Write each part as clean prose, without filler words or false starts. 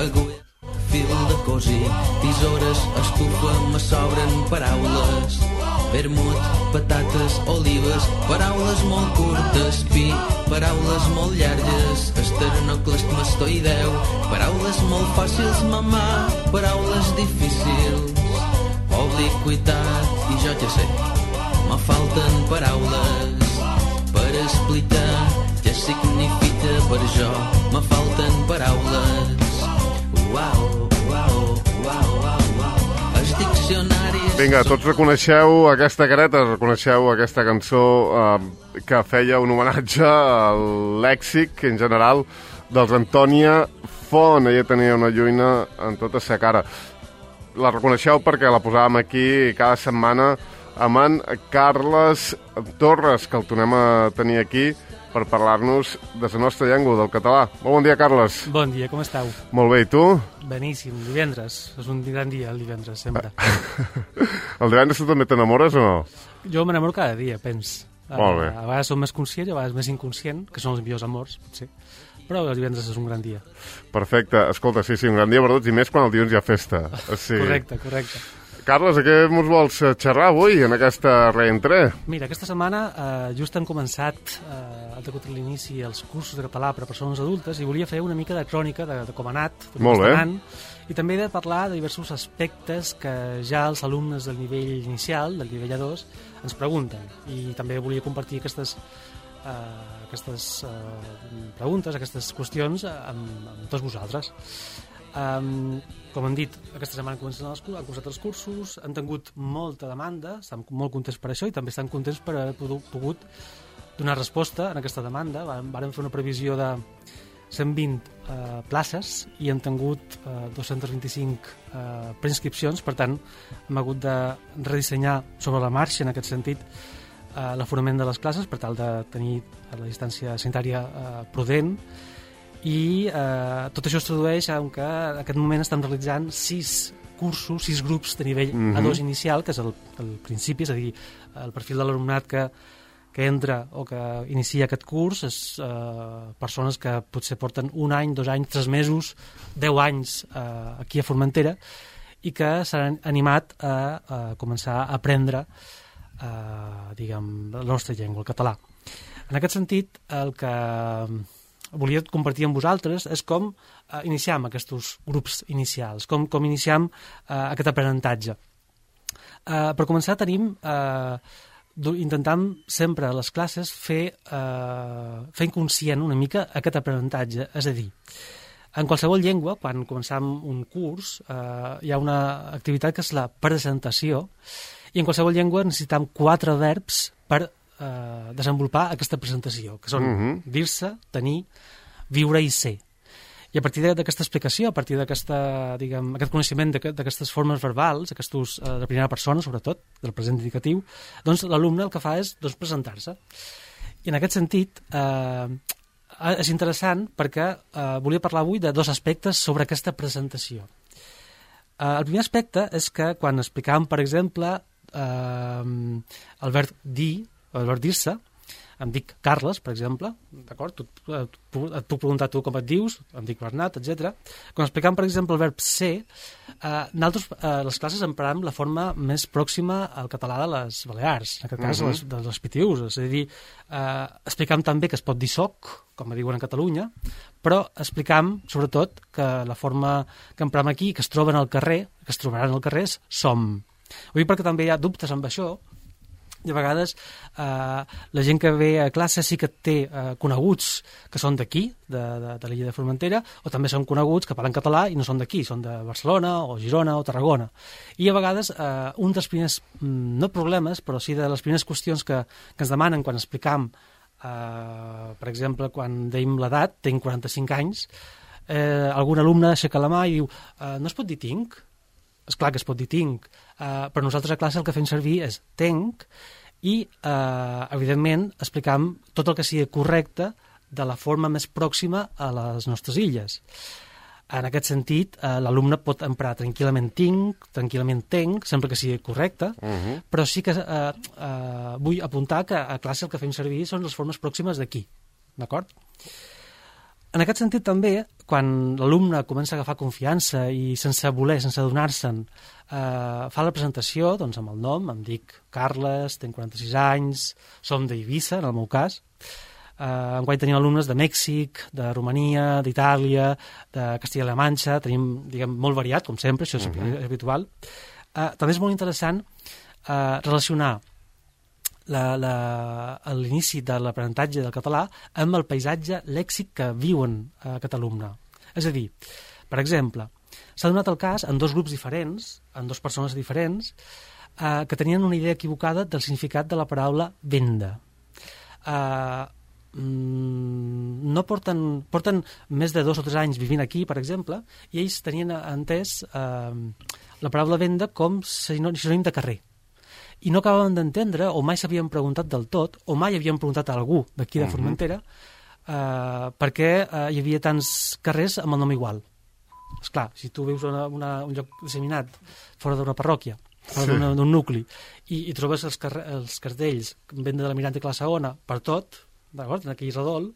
agulla, fil de cosir, tisores, estufa, me sobren paraules. Vermut, patates, olives, paraules molt curtes, pi, paraules molt llargues, esternocleidomastoideu, paraules molt fàcils, mamà, paraules difícils, obliquitat, i jo ja sé, me falten paraules per explicar què significa per jo, me falten paraules. Uau, uau, uau, uau, uau. Els diccionaris... Vinga, tots reconeixeu aquesta careta, reconeixeu aquesta cançó que feia un homenatge al lèxic, en general, dels Antònia Font. Ella tenia una lluina en tota sa cara. La reconeixeu perquè la posàvem aquí cada setmana amb en Carles Torres, que el tornem a tenir aquí per parlar-nos de la nostra llengua, del català. Molt bon dia, Carles. Bon dia, com esteu? Molt bé, i tu? Beníssim, divendres. És un gran dia, el divendres, sempre. El divendres tu també t'enamores o no? Jo m'enamoro cada dia, pens. Molt bé. A vegades som més conscient, a vegades més inconscient, que són els millors amors, potser. Però el divendres és un gran dia. Perfecte. Escolta, sí, un gran dia per tots, i més quan el dilluns hi ha festa. Sí. Correcte. Carles, a què ens vols xerrar avui en aquesta reentré? Mira, aquesta setmana just han començat, ha degut l'inici els cursos de català per a persones adultes i volia fer una mica de crònica de com ha anat, de com està anant, i també de parlar de diversos aspectes que ja els alumnes del nivell inicial, del nivell A2, ens pregunten. I també volia compartir aquestes preguntes, aquestes qüestions amb tots vosaltres. Com hem dit, aquesta setmana han cursat els cursos, han tingut molta demanda, estan molt contents per això i també estan contents per haver pogut donar resposta a aquesta demanda. Vàrem fer una previsió de 120 places i han tingut 225 preinscripcions, per tant hem hagut de redissenyar sobre la marxa en aquest sentit l'aforament de les classes per tal de tenir la distància sanitària prudent. I tot això es tradueix en que en aquest moment estem realitzant 6 cursos, 6 grups de nivell A2 inicial, que és el principi, és a dir, el perfil de l'alumnat que entra o que inicia aquest curs és persones que potser porten 1 any, 2 anys, 3 mesos, 10 anys aquí a Formentera i que s'han animat a començar a aprendre diguem, la nostra llengua, el català. En aquest sentit, el que volia compartir amb vosaltres és com iniciam aquests grups inicials, com iniciam aquest aprenentatge. Per començar tenim, intentam sempre a les classes fer inconscient una mica aquest aprenentatge, és a dir, en qualsevol llengua, quan començam un curs, hi ha una activitat que és la presentació, i en qualsevol llengua necessitam 4 verbs per desenvolupar aquesta presentació, que són dir-se, tenir, viure i ser. I a partir d'aquesta explicació, a partir d'aquest coneixement d'aquestes formes verbals, de primera persona, sobretot, del present indicatiu, doncs l'alumne el que fa és presentar-se. I en aquest sentit, és interessant perquè volia parlar avui de 2 aspectes sobre aquesta presentació. El primer aspecte és que quan explicàvem, per exemple, el verb dir, el verb dir-se, em dic Carles, per exemple, d'acord? Et puc preguntar tu com et dius, em dic Bernat, etc. Quan explicam, per exemple, el verb ser, nosaltres les classes emprem la forma més pròxima al català de les Balears, en aquest cas de les PTUs, és a dir, explicam també que es pot dir soc, com diuen a Catalunya, però explicam, sobretot, que la forma que emprem aquí, que es troben al carrer, que es trobaran al carrer, és som. Ho dic perquè també hi ha dubtes amb això, i a vegades la gent que ve a classe sí que té coneguts que són d'aquí, de l'illa de Formentera, o també són coneguts que parlen català i no són d'aquí, són de Barcelona o Girona o Tarragona. I a vegades un dels primers, no problemes, però sí de les primeres qüestions que ens demanen quan explicam, per exemple, quan deim l'edat, tinc 45 anys, algun alumne aixeca la mà i diu no es pot dir tinc? És clar que es pot dir tinc, però nosaltres a classe el que fem servir és tenc i, evidentment, explicam tot el que sigui correcte de la forma més pròxima a les nostres illes. En aquest sentit, l'alumne pot emprar tranquil·lament tinc, tranquil·lament tenc, sempre que sigui correcte, però sí que vull apuntar que a classe el que fem servir són les formes pròximes d'aquí, d'acord? En aquest sentit, també, quan l'alumne comença a agafar confiança i sense voler, sense adonar-se'n, fa la presentació doncs, amb el nom, em dic Carles, tinc 46 anys, som d'Eivissa, en el meu cas. Enguany tenim alumnes de Mèxic, de Romania, d'Itàlia, de Castilla-La Manxa, tenim, diguem, molt variat, com sempre, això és habitual. També és molt interessant relacionar l'inici de l'aprenentatge del català amb el paisatge lèxic que viuen aquest alumne. És a dir, per exemple, s'ha donat el cas en dos grups diferents, en dues persones diferents, que tenien una idea equivocada del significat de la paraula venda. No porten més de 2 o 3 anys vivint aquí, per exemple, i ells tenien entès la paraula venda com sinònim de carrer. I no acabaven d'entendre, o mai s'havien preguntat del tot, o mai havien preguntat a algú d'aquí de Formentera, per què hi havia tants carrers amb el nom igual. Esclar, si tu vius un lloc disseminat fora d'una parròquia, fora d'un nucli, i trobes els cartells venda de la Miranda i la Segona per tot, d'acord, en aquell redol,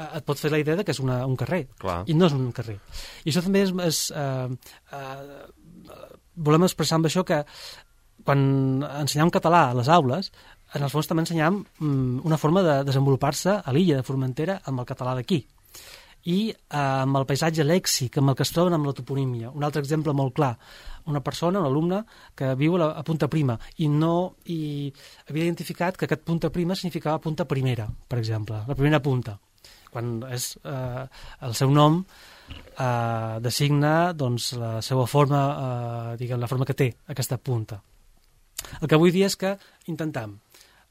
et pot fer la idea que és un carrer. Clar. I no és un carrer. I això també volem expressar amb això que quan ensenyam català a les aules, en el fons també ensenyam una forma de desenvolupar-se a l'illa de Formentera amb el català d'aquí. I amb el paisatge lèxic, amb el que es troben amb la toponímia. Un altre exemple molt clar, una persona, un alumne, que viu a Punta Prima i havia identificat que aquest Punta Prima significava punta primera, per exemple, la primera punta, quan és el seu nom designa doncs, la seva forma, diguem, la forma que té aquesta punta. El que vull dir és que intentam,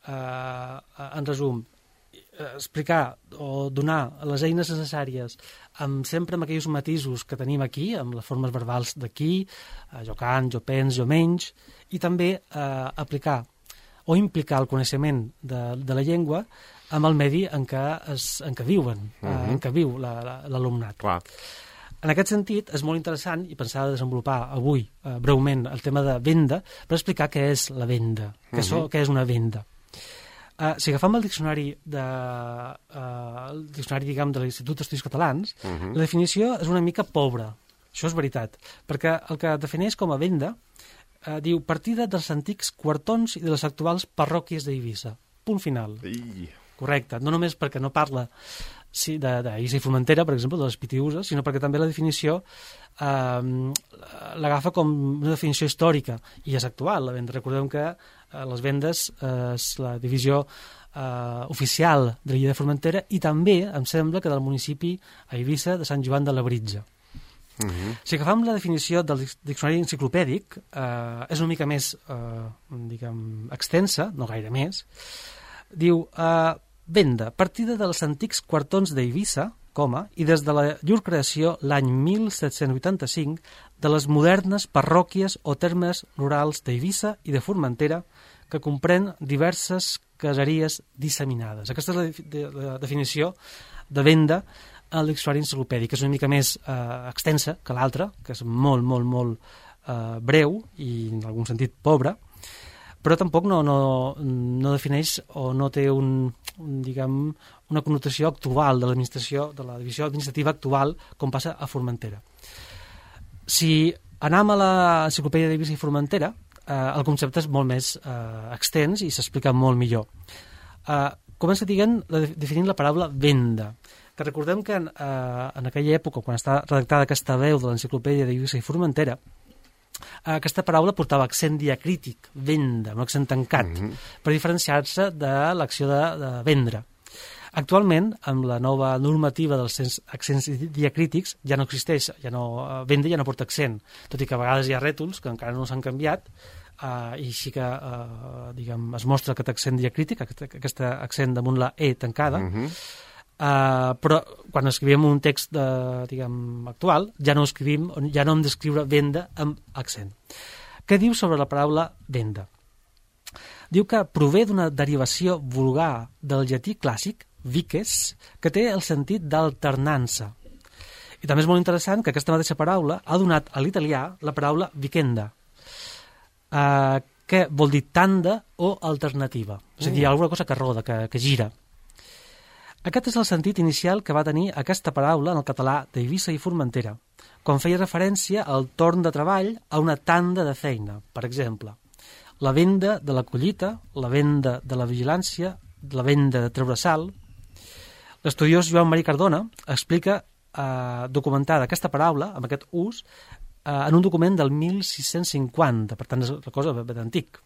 en resum, explicar o donar les eines necessàries sempre amb aquells matisos que tenim aquí, amb les formes verbals d'aquí, jo cant, jo pens, jo menys, i també aplicar o implicar el coneixement de la llengua amb el medi en què viuen, en què viu l'alumnat. Clar. En aquest sentit, és molt interessant, i pensava desenvolupar avui breument el tema de venda, per explicar què és la venda, què és una venda. Si agafam el diccionari diguem, de l'Institut d'Estudis Catalans, la definició és una mica pobra, això és veritat, perquè el que defineix com a venda diu partida dels antics quartons i de les actuals parròquies d'Eivissa. Punt final. Correcte, no només perquè no parla d'Eivissa i Formentera, per exemple, de les Pitiüses, sinó perquè també la definició l'agafa com una definició històrica i és actual. La venda. Recordem que les vendes és la divisió oficial de l'illa de Formentera i també, em sembla, que del municipi a Eivissa de Sant Joan de Labritja. Si agafam la definició del diccionari enciclopèdic, és una mica més extensa, no gaire més. Diu, venda, partida dels antics quartons d'Eivissa, i des de llur creació l'any 1785 de les modernes parròquies o termes rurals d'Eivissa i de Formentera que comprèn diverses caseries disseminades. Aquesta és la definició de venda al diccionari enciclopèdic, que és una mica més extensa que l'altra, que és molt, molt, molt breu i en algun sentit pobra, però tampoc no defineix o no té una connotació actual de l'administració, de la divisió administrativa actual, com passa a Formentera. Si anem a l'enciclopèdia d'Eivissa i Formentera, el concepte és molt més extens i s'explica molt millor. Comença definint la paraula venda, que recordem que en aquella època, quan està redactada aquesta veu de l'enciclopèdia d'Eivissa i Formentera, aquesta paraula portava accent diacrític, venda, un accent tancat, per diferenciar-se de l'acció de vendre. Actualment, amb la nova normativa dels accents diacrítics, ja no existeix, venda ja no porta accent, tot i que a vegades hi ha rètols que encara no s'han canviat, i així que es mostra aquest accent diacrític, aquest accent damunt la E tancada, però quan escrivim un text actual ja no hem d'escriure venda amb accent. Què diu sobre la paraula venda? Diu que prové d'una derivació vulgar del llatí clàssic vices, que té el sentit d'alternança. I també és molt interessant que aquesta mateixa paraula ha donat a l'italià la paraula vicenda, que vol dir tanda o alternativa, és a dir, alguna cosa que roda, que gira. Aquest és el sentit inicial que va tenir aquesta paraula en el català d'Eivissa i Formentera, quan feia referència al torn de treball a una tanda de feina. Per exemple, la venda de la collita, la venda de la vigilància, la venda de treure sal. L'estudiós Joan Marí Cardona explica documentada aquesta paraula, amb aquest ús, en un document del 1650, per tant és una cosa ben antic.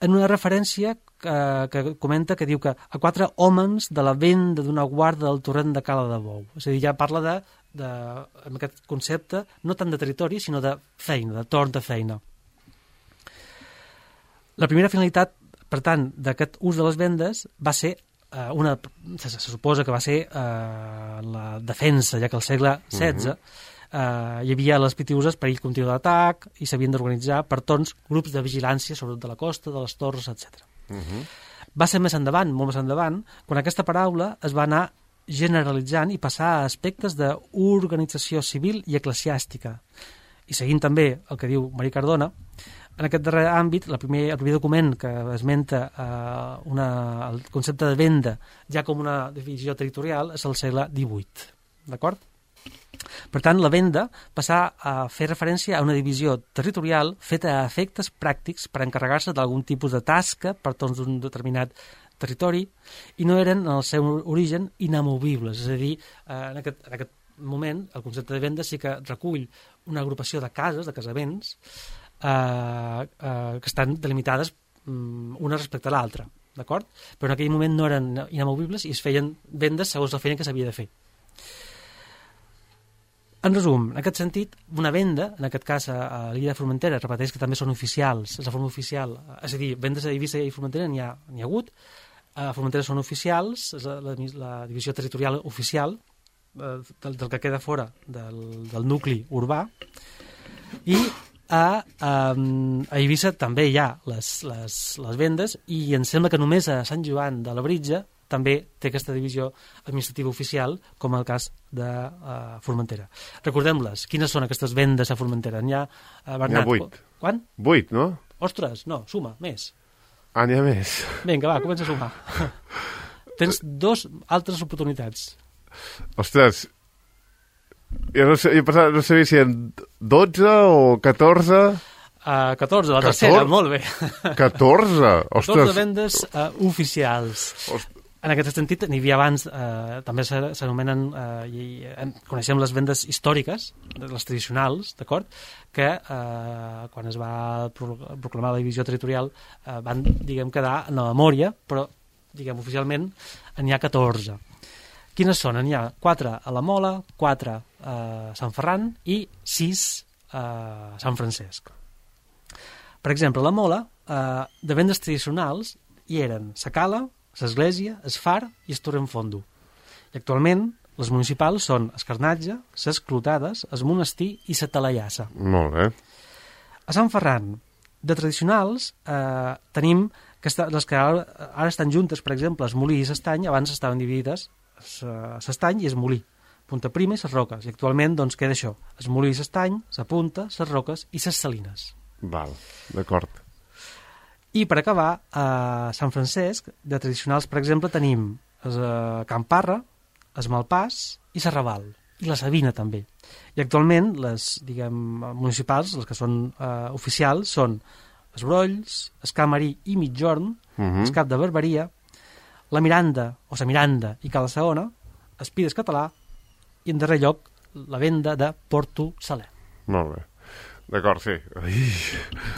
En una referència que comenta que diu que a 4 homes de la venda d'una guarda del torrent de Cala de Bou. És a dir, ja parla amb aquest concepte, no tant de territori, sinó de feina, de torn de feina. La primera finalitat, per tant, d'aquest ús de les vendes va ser se suposa que va ser la defensa, ja que al segle XVI hi havia les pitiuses perill continu d'atac i s'havien d'organitzar per torns grups de vigilància, sobretot de la costa, de les torres, etc. Va ser més endavant, molt més endavant, quan aquesta paraula es va anar generalitzant i passar a aspectes d'organització civil i eclesiàstica. I seguint també el que diu Marí Cardona, en aquest darrer àmbit, el primer document que esmenta el concepte de venda ja com una divisió territorial és el segle XVIII. D'acord? Per tant, la venda passà a fer referència a una divisió territorial feta a efectes pràctics per encarregar-se d'algun tipus de tasca per tots d'un determinat territori i no eren en el seu origen inamovibles. És a dir, en aquest moment el concepte de venda sí que recull una agrupació de cases, de casaments, que estan delimitades una respecte a l'altra, d'acord? Però en aquell moment no eren inamovibles i es feien vendes segons la feina que s'havia de fer. En resum, en aquest sentit, una venda, en aquest cas a l'illa de Formentera, repeteix que també són oficials, és la forma oficial, és a dir, vendes a Eivissa i Formentera n'hi ha hagut, a Formentera són oficials, és la divisió territorial oficial del que queda fora del nucli urbà, i a Eivissa també hi ha les vendes i em sembla que només a Sant Joan de Labritja també té aquesta divisió administrativa oficial, com el cas de Formentera. Recordem-les, quines són aquestes vendes a Formentera? N'hi ha, Bernat? N'hi ha 8. Quan? 8, no? Ostres, no, suma, més. N'hi ha més. Vinga, va, comença a sumar. Tens 2 altres oportunitats. Ostres, jo no sabia si eren 12 o 14... 14, la tercera, molt bé. 14? Ostres. 14 vendes oficials. En aquest sentit, n'hi havia abans, també s'anomenen, coneixem les vendes històriques, les tradicionals, d'acord? Que quan es va proclamar la divisió territorial van, diguem, quedar en la memòria, però, diguem, oficialment n'hi ha 14. Quines són? N'hi ha 4 a la Mola, 4 a Sant Ferran i 6 a Sant Francesc. Per exemple, a la Mola, de vendes tradicionals hi eren sa cala, l'església, es far i es torrent-fondo. I actualment les municipals són es carnatge, ses clotades, es monestir i sa talaiassa. Molt bé. A Sant Ferran, de tradicionals, tenim les que ara estan juntes, per exemple, es molí i s'estany, abans estaven dividides s'estany i es molí, punta prima i ses roques, i actualment doncs queda això, es molí i s'estany, sa punta, ses roques i ses salines. Val, d'acord. I per acabar, a Sant Francesc, de tradicionals, per exemple, tenim Can Parra, es Malpàs i Serraval, i la Sabina també. I actualment les, diguem, municipals, les que són oficials, són es Brolls, es Camarí i Mitjorn, es Cap de Barberia, la Miranda, o sa Miranda i Cala Saona, es Pides Català, i en darrer lloc, la venda de Porto Saler. Molt bé. D'acord, sí.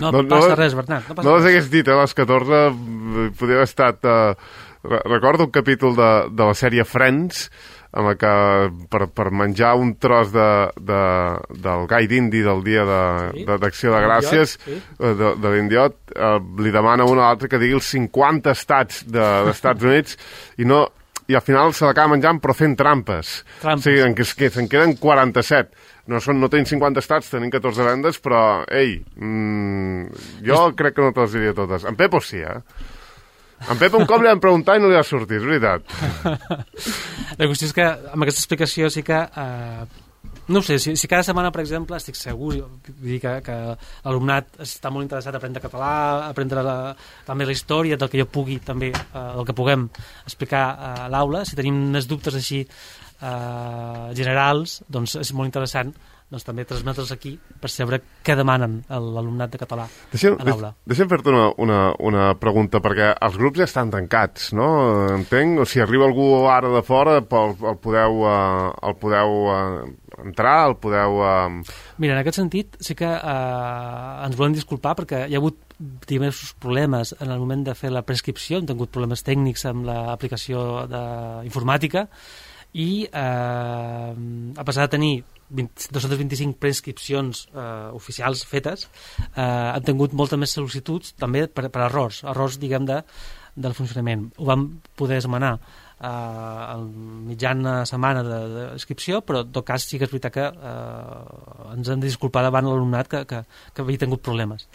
No passa res, Bernat. No les hagués dit, les 14 podria haver estat... Recordo un capítol de la sèrie Friends, en la que per menjar un tros del gai d'indi del dia d'Acció de Gràcies, de l'indiot, li demana un a l'altre que digui els 50 estats d'Estats Units i al final se l'acaba menjant però fent trampes. O sigui, se'n queden 47. No tenim 50 estats, tenim 14 vendes, però, ei, jo crec que no te les diria totes. En Pepo sí, En Pepo un cop li van preguntar i no li va sortir, és veritat. La qüestió és que amb aquesta explicació sí que No ho sé, si cada setmana, per exemple, estic segur, vull dir que l'alumnat està molt interessat a aprendre català, a aprendre també la història del que jo pugui, també, del que puguem explicar a l'aula. Si tenim més dubtes així generals, doncs és molt interessant doncs també transmetre'ls aquí per saber què demanen l'alumnat de català a l'aula. Deixa'm fer-te una pregunta, perquè els grups ja estan tancats, no? Entenc? O si arriba algú ara de fora, el podeu entrar, el podeu... Mira, en aquest sentit sí que ens volem disculpar perquè hi ha hagut diversos problemes en el moment de fer la prescripció, hem tingut problemes tècnics amb l'aplicació informàtica i a pesar de tenir 225 prescripcions oficials fetes, han tingut moltes més sol·licituds també per errors diguem, del funcionament. Ho vam poder esmenar a mitjana setmana d'inscripció, però en tot cas sí que és veritat que ens hem de disculpar davant l'alumnat que havia tingut problemes.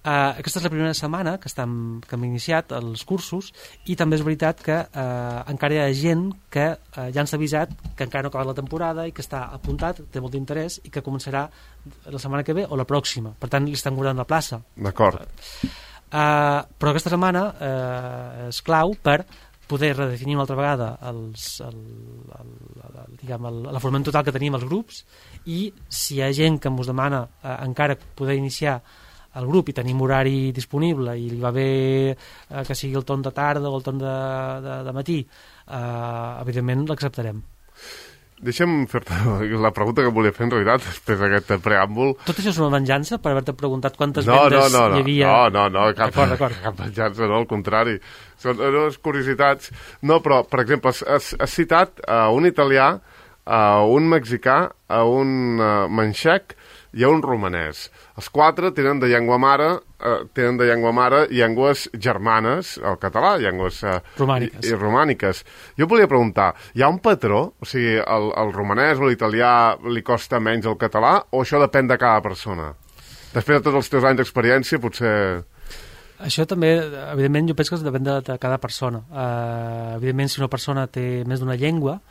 Aquesta és la primera setmana que hem iniciat els cursos i també és veritat que encara hi ha gent que ja ens ha avisat que encara no ha acabat la temporada i que està apuntat, té molt d'interès i que començarà la setmana que ve o la pròxima, per tant li estan guardant la plaça. D'acord. Però aquesta setmana és clau per poder redefinir una altra vegada la forma total que tenim els grups i si hi ha gent que ens demana encara poder iniciar el grup i tenim horari disponible i li va bé que sigui el torn de tarda o el torn de matí, evidentment l'acceptarem. Deixa'm fer-te la pregunta que volia fer en realitat després d'aquest preàmbul. Tot això és una venjança per haver-te preguntat quantes vendes hi havia? No, cap venjança, no, al contrari. Són unes curiositats. No, però, per exemple, has citat un italià, un mexicà, un manxec i un romanès. Els quatre tenen de llengua mare llengües germanes, el català, llengües romàniques. Jo volia preguntar, hi ha un patró? O sigui, el romanès o l'italià li costa menys el català o això depèn de cada persona? Després de tots els teus anys d'experiència, potser... Això també, evidentment, jo penso que depèn de cada persona. Evidentment, si una persona té més d'una llengua,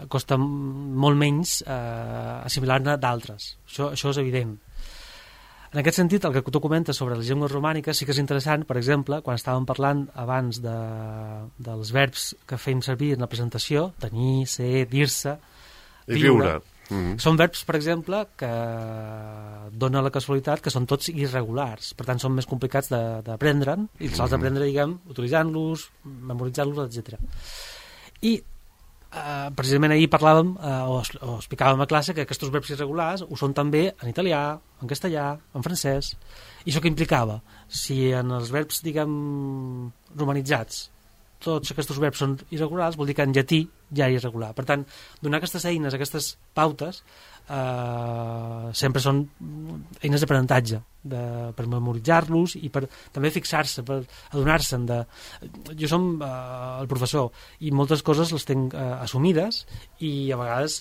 costa molt menys assimilar-ne d'altres. Això és evident. En aquest sentit, el que tu comentes sobre les llengües romàniques sí que és interessant, per exemple, quan estàvem parlant abans dels verbs que fèiem servir en la presentació, tenir, ser, dir-se, viure. Són verbs, per exemple, que dona la casualitat que són tots irregulars, per tant són més complicats d'aprendre'n i els has d'aprendre, diguem, utilitzant-los, memoritzant-los, etc. I precisament ahir parlàvem o explicàvem a classe que aquests verbs irregulars ho són també en italià, en castellà, en francès. I això què implicava? Si en els verbs, diguem, romanitzats tots aquests verbs són irregulars, vol dir que en llatí ja és irregular. Per tant, donar aquestes eines, aquestes pautes, sempre són eines d'aprenentatge per memoritzar-los i per també fixar-se, per adonar-se'n de... Jo som el professor i moltes coses les tenc assumides i a vegades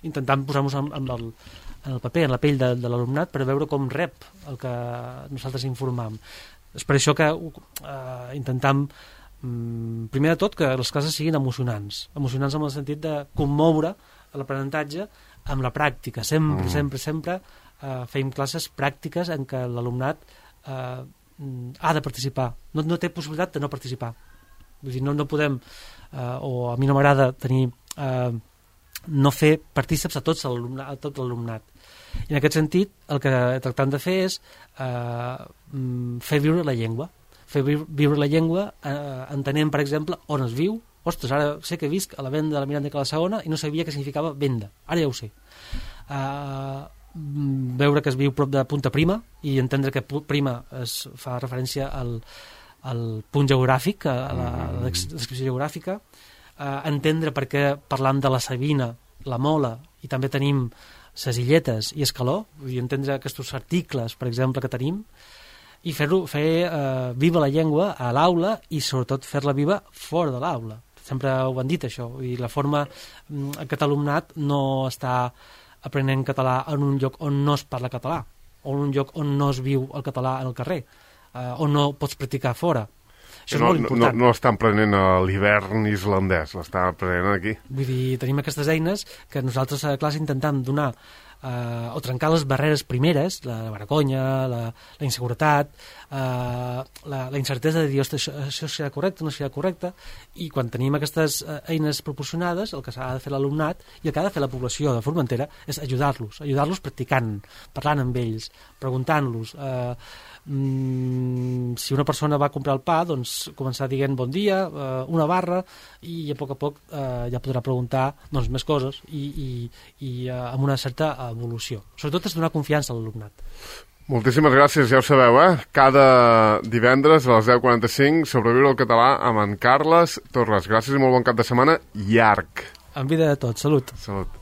intentant posar-nos en el paper, en la pell de l'alumnat per veure com rep el que nosaltres informam. És per això que intentem primer de tot que les classes siguin emocionants en el sentit de commoure l'aprenentatge amb la pràctica. Sempre fem classes pràctiques en què l'alumnat ha de participar. No té possibilitat de no participar. Vull dir, no podem, o a mi no m'agrada tenir no fer partíceps a tot l'alumnat. I en aquest sentit el que tractem de fer és fer viure la llengua. Fer viure la llengua entenent, per exemple, on es viu. Ostres, ara sé que visc a la venda de la Miranda de la Segona i no sabia què significava venda. Ara ja ho sé. Veure que es viu prop de Punta Prima i entendre que Prima es fa referència al punt geogràfic, a la descripció geogràfica, entendre per què parlam de la Sabina, la Mola, i també tenim ses Illetes i Escaló, vull dir, entendre aquests articles, per exemple, que tenim, i fer viva la llengua a l'aula i sobretot fer-la viva fora de l'aula. Sempre ho han dit, això. I la forma, aquest alumnat no està aprenent català en un lloc on no es parla català, o en un lloc on no es viu el català en el carrer, on no pots practicar fora. Això és molt important. No l'estan prenent a l'hivern islandès, l'estan prenent aquí. Vull dir, tenim aquestes eines que nosaltres a la classe intentem donar o trencar les barreres primeres, la vergonya, la inseguretat, la incertesa de dir, ostres, això serà correcte, no serà correcte, i quan tenim aquestes eines proporcionades, el que s'ha de fer l'alumnat i el que ha de fer la població de Formentera és ajudar-los practicant, parlant amb ells, preguntant-los. Si una persona va a comprar el pa, doncs començar dient bon dia, una barra, i a poc ja podrà preguntar doncs, més coses i amb una certa evolució. Sobretot és donar confiança a l'alumnat. Moltíssimes gràcies, ja ho sabeu, cada divendres a les 10:45 Sobreviure al català amb en Carles Torres. Gràcies i molt bon cap de setmana llarg. En vida de tots, salut. Salut.